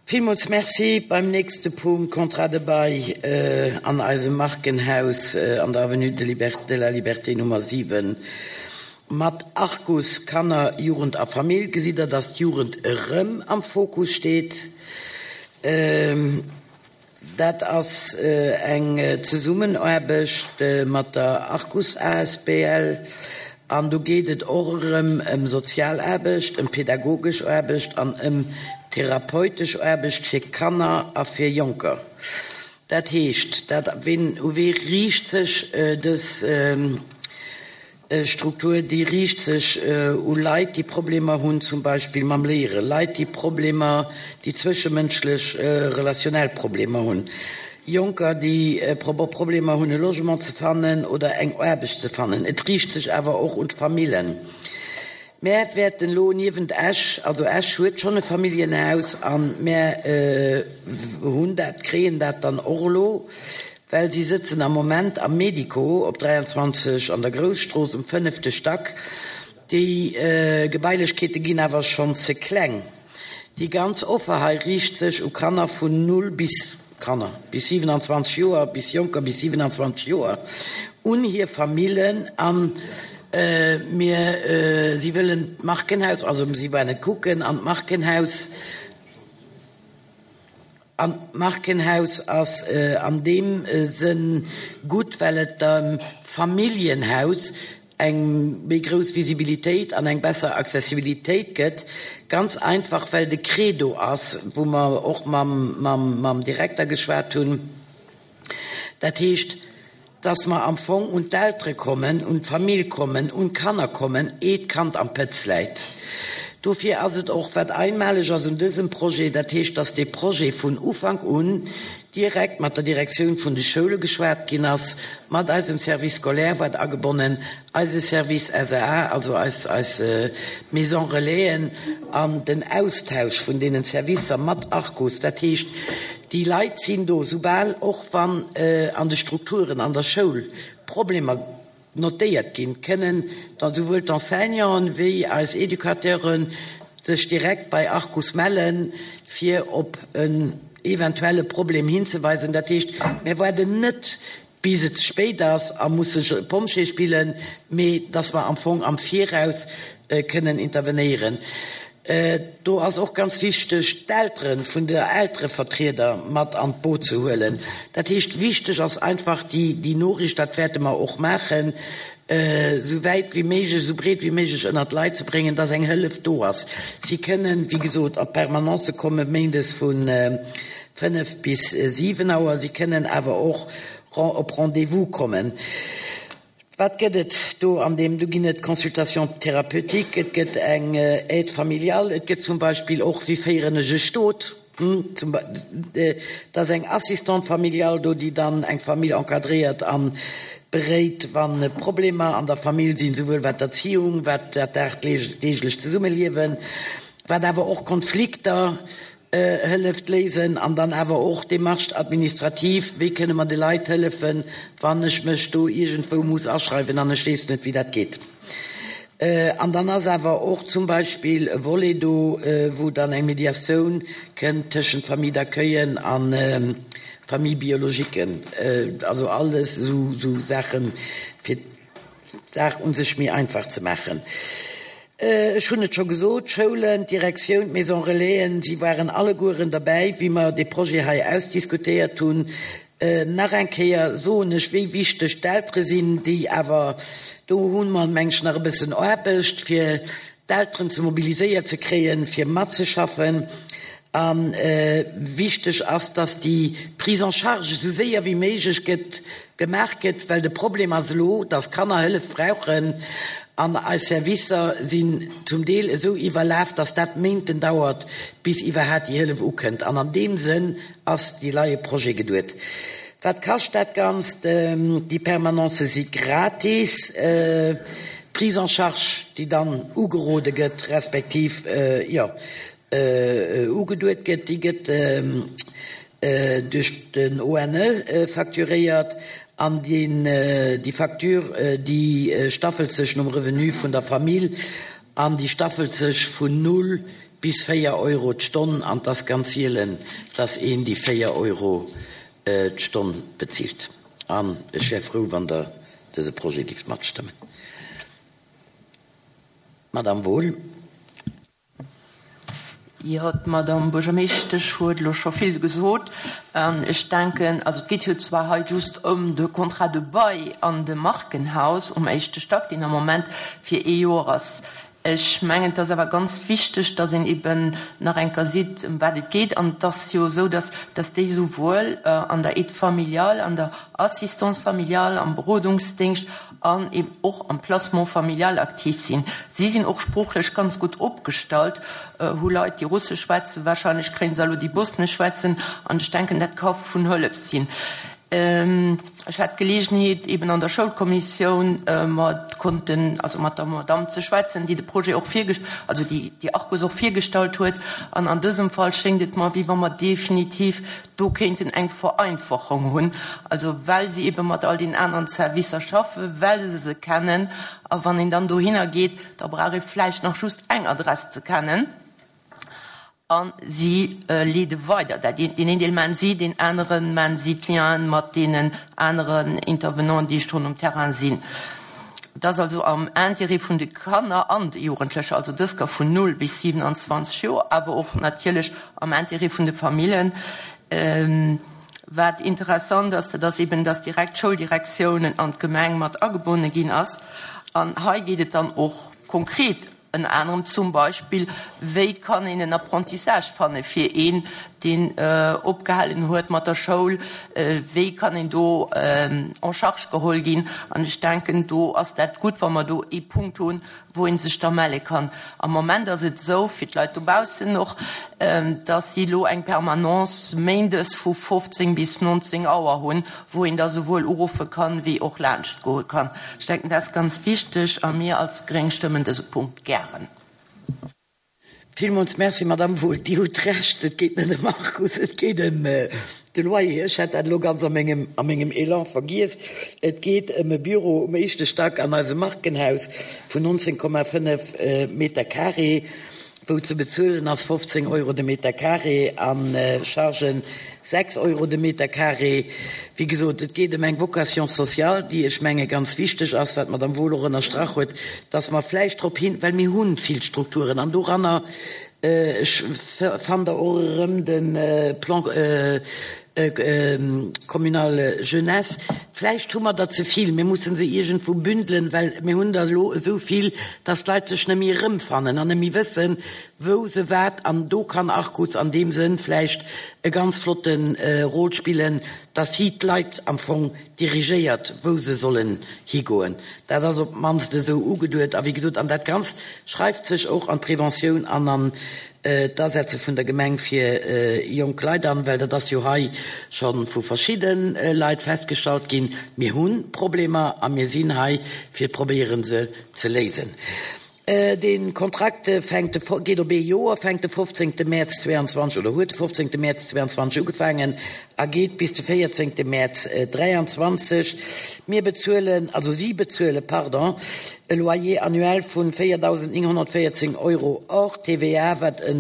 Villmools Merci. Beim nächste Punkt, Contrat de bail an eisem Markenhaus an der Avenue de la Liberté Nummer 7 mat Arcus Kanner, Jugend a Famill, gesitt Der, dass d'Jugend erëm am Fokus steet. Dat ass eng Zesummenaarbecht mat der Arcus asbl an do geet et och erëm ëm sozial Aarbecht, ëm pedagogesch Aarbecht an ëm therapeutesch Aarbecht fir Kanner a fir Jonker. Dat heescht, dat, ween, u wee riicht sech dës Struktur, déi riicht sech u Leit, déi Problemer hunn, zum Beispill mam Léieren, Leit, déi Problemer, déi zwëschemënschlech, relationell Problemer hunn, Jonker, déi Problemer hunn, e Logement ze fannen oder eng Aarbecht ze fannen. Et riicht sech awer och un d'Famillen. Mär wäerten elo niewent Esch, also Esch huet schonn e Familljenhaus a mär hunn dat, kréien dat dann och elo, Well si sëtzen am Moment am Medico op 23 an der Grousstrooss um fënnefte Stack. Déi Gebailechkeete ginn awer schonn ze kleng. Déi ganz Offer hei riicht sech u Kanner vun 0 bis Kanner bis 27 Joer, bis Jonker bis 27 Joer, un hir Famillen an mir si wëllen d'Markenhaus, also si waren et kucken an d'Markenhaus, An d'Markenhaus ass an deem Sënn gutt, well et dem Familljenhaus eng méi grouss Visibilitéit an eng besser Accessibilitéit gëtt. Ganz einfach, well de Credo ass, wou mer och mam Direkter geschwat hunn, dat heescht, dass mer am Fong un d'Eltere kommen, un d'Famill kommen, un d'Kanner kommen, eeh d'Kand am Pëtz läit. Dofir ass et och, wat einmaleg ass un dësem Projet, dat heescht, dass dee Projet vun Ufank un direkt mat der Direktioun vun de Schoule geschwat ginn ass, mat eisem Service scolaire wat agebonnen, eise Service SAA, also eis, eis Maison Relaisen an den Austausch vun deenen Servicer mat Arcus, dat heescht, Déi Leit sinn do, soubal och wann an de Strukturen an der Schoul Problemer notéiert ginn, kënnen da souwuel d'Enseignanten wéi eis Educateuren sech direkt bei Arcus mellen, fir op en eventuelle Problem hinzeweisen. Dat heescht, mir waarden net bis et ze spéit ass a musse Pompjee spillen, mee dass mer am Fong am Viraus kënnen intervenéieren. Do ass och ganz wichteg, d'Eltere vun de Elterevertrieder mat an d'Boot ze huelen. Dat heescht, wichteg ass einfach déi Noriicht, dat wäerte mer och maachen, esou wäit wéi méiglech, esou breet wéi méiglech ënnert d'Leit ze bréngen, dass eng Hëllef do ass. Si kënnen, wéi gesot, an d'Permanencë kommen, méindes vu 5 bis 7 Auer. Si kënnen awer och op Rendez-vous kommen. Wat gëtt et do an deem? Do ginn et Consultations thérapeutiques, et gëtt eng Aide familiale, et gëtt zum Beispill och, wéi féieren ech e Stot? Et ass eng Assistante familiale do, déi dann eng Famill encadréiert a beréit, wa Problemer an der Famill sinn, souwuel wat d'Erziehung, wat dat dagdeeglecht Zesummeliewen, wat awer och Konflikter hëlleft léisen an dann awer och Démarches administratives, wéi kënne mer de Leit hëllefen, wann ech mech do iergendwou muss aschreiwen an ech weess net, wéi dat geet. An dann ass awer och zum Beispill e Volet do, wou dann eng Mediatioun kënnt tëschent Famille d'accueillen a Famille biologiquen, also alles esou Saachen, fir d'Saach u sech méi einfach ze maachen. Ech hunn et scho gesot, d'Schoulen, d'Direktioun, d'Maison Relaisen, si waren allegueren derbäi, wéi mer dee Projet hei ausdiskutéiert hunn. Nach eng Kéier soen ech, wéi wichteg d'Eltere sinn, déi awer, do hu mer, meng ech, nach e bëssen Aarbecht, fir d'Elteren ze mobiliséiert ze kréien, fir matzeschaffen. A wichteg ass, dass déi Prise en charge esou séier wéi méiglech gëtt, gemaach gëtt, well de Problem ass elo, dass Kanner Hëllef brauchen an eis Servicer sinn zum Deel esou iwwerlaf, dass dat Méinten dauert, bis iwwerhaat déi Hëllef ukënnt. An an deem Sënn ass dee leie Projet geduet. Wat kascht dat Ganzt? Déi Permanencë si gratis. D'Prise en charge, déi dann ugerode gëtt, respektiv, jo, ugeduet gëtt, déi gëtt duerch den ONE facturéiert an déi Facture, déi staffelt sech nom Revenu vun der Famill an déi staffelt sech vun null. bis 4 Euro d'Stonn an 't ass ganz sielen, dass een déi 4 Euro d'Stonn bezilt. An ech wär frou, wann Der dëse Projet gifft matstëmmen. Madame Wohl. Jo, d'Madame Buergermeeschtesch huet elo scho vill gesot. An ech denken, also et geet jo zwar hei just ëm de Contrat de bail an dem Markenhaus um éischte Stack, deen am Moment fir ee Joer ass. Ech mengen, et ass awer ganz wichteg, dass een eben nach eng Kéier seet, ëm wat et geet. An et ass jo esou, dass, dass déi souwuel an der Aide familiale, an der Assistance familiale, am Berodungsdéngscht an eben och am Placement familial aktiv sinn. Si sinn och sproochlech ganz gutt opgestallt, hu Leit, déi Russesch schwätzen, wahrscheinlech kréien se elo déi Bosnesch schwätzen, an ech denken, dat ka vun Hëllef sinn. Ech hat d'Geleegenheet, eben an der Schoulkommissioun mat konnten, also mat der Madamm ze schwätzen, déi de Projet och virge-, also déi déi Arcus och virgestallt huet, an an dësem Fall schéngt et mer, wéi wa mer definitiv do kéinten eng Vereinfachung hunn, also well si ebe mat all den aneren Servicer schaffen, well se se kennen. A wann een dann dohinner geet, da brauch ee vläicht nach just eng Adress ze kennen a si leede weider. Dat een, deen een Deel maachen si, deen anere maachen si d'Lienen mat deenen aneren Intervenanten, déi schonn um Terrain sinn. Et ass also am Intérêt vun de Kanner an de Jugendlecher, also dës ka vun 0 bis 27 Joer, awer och natierlech am Intérêt vun de Famillen. Wat interessant ass, dat ass eben, dass direkt d'Schouldirektiounen an d'Gemeng mat agebonne ginn ass. An hei geet et dann och konkret Ënner anerem zum Beispill, wéi kann een en Apprentissage fanne fir een, deen opgehalen huet mat der Schoul, wéi kann een do en charge geholl ginn. An ech denken, do ass dat gutt, wa mer do ee Punkt hunn, wou ee sech da melle kann. Am Moment ass et esou, fir d'Leit dobaussen och, dass si elo eng Permanence méindes vu 15 bis 19 Auer hunn, wou een da souwuel uruffe kann, wéi och laanscht goe kann. Ech denken, dat ass ganz wichteg a mir als Gréng stëmmen dëse Punkt gären. Villmools Merci, Madamm Wohl. Dir hutt Recht, et geet net ëm Arcus, et geet ëm de Loyer. Ech hat dat elo ganz a mengem, a mengem Elan vergiess. Et geet ëm e Büro um éischte Stack an eisem Markenhaus vun 19,5 Meter carré, wou ze bezuelen ass 15 Euro de Meter carré a Chargen 6 Euro de Meter carré. Wéi gesot, et geet ëm eng Vocation sociale, déi, ech menge ganz wichteg ass, wat d'Madame Wohl och ënnerstrach huet, dass mer vläicht drop hin, well mir hu vill Strukturen an doranner, ech fannt Der och erëm de Plan communal jeunesse, vläicht hu mer der ze vill, mir musse se iergendwou bündelen, well mir hunn der elo esou vill, dass d'Leit sech net méi erëmfannen an net méi wëssen, wou se wat, an do kann Arcus an deem Sënn vläicht e ganz flotte Rôle spillen, dass si d'Leit am Fong dirigéiert, wou se sollen higoen. Dat ass op d'mannst esou ugeduet. A wéi gesot, an dat Ganzt schreift sech och an d'Preventioun an an d'Asetze vun der Gemeng fir jonk Leit an, well dat ass jo hei scho vu verschidde Leit festgestallt ginn, Mir hu Problemer a mir sinn hei fir probéieren, se ze léisen. Dee Kontrakt fänkt de, geet op ee Joer, fänkt de 15 Mäerz 22 oder huet de 15 Mäerz 22 ugefaangen a geet bis de 14 Mäerz 23. Mir bezuelen, also si bezuelen, pardon, e Loyer annuel vu 4.914 Euro hors TVA, wat e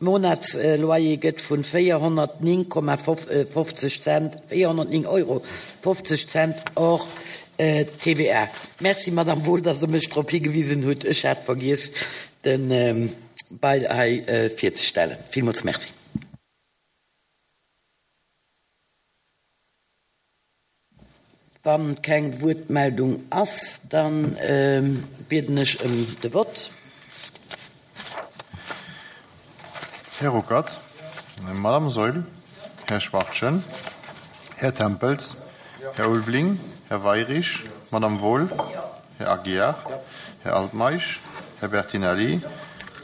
Monatsloyer gëtt vu 409,50 Cent, 409 Euro 50 Cent hors TVA. Merci, Madame Wohl, dass Der mech drop higewisen hutt. Ech hat vergiess, de Bail hei virzestellen. Villmools Merci. Wa keng Wuertmeldung ass, da bieden ech ëm de Vott. Här Ruckert, Madame Saeul, Här Schwachtgen, Här Tempels, Här Ulveling, Här Weirich, Madame Wohl, Här Aguiar, Här Altmeisch, Här Bertinelli,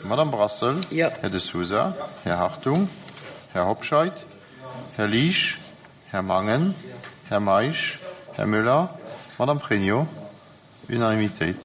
Madame Brassel, Här De Sousa, Här Hartung, Här Hobscheit, Här Liesch, Här Mangen, Här Meisch, Här Müller, Madame Pregno. Unanimitéit.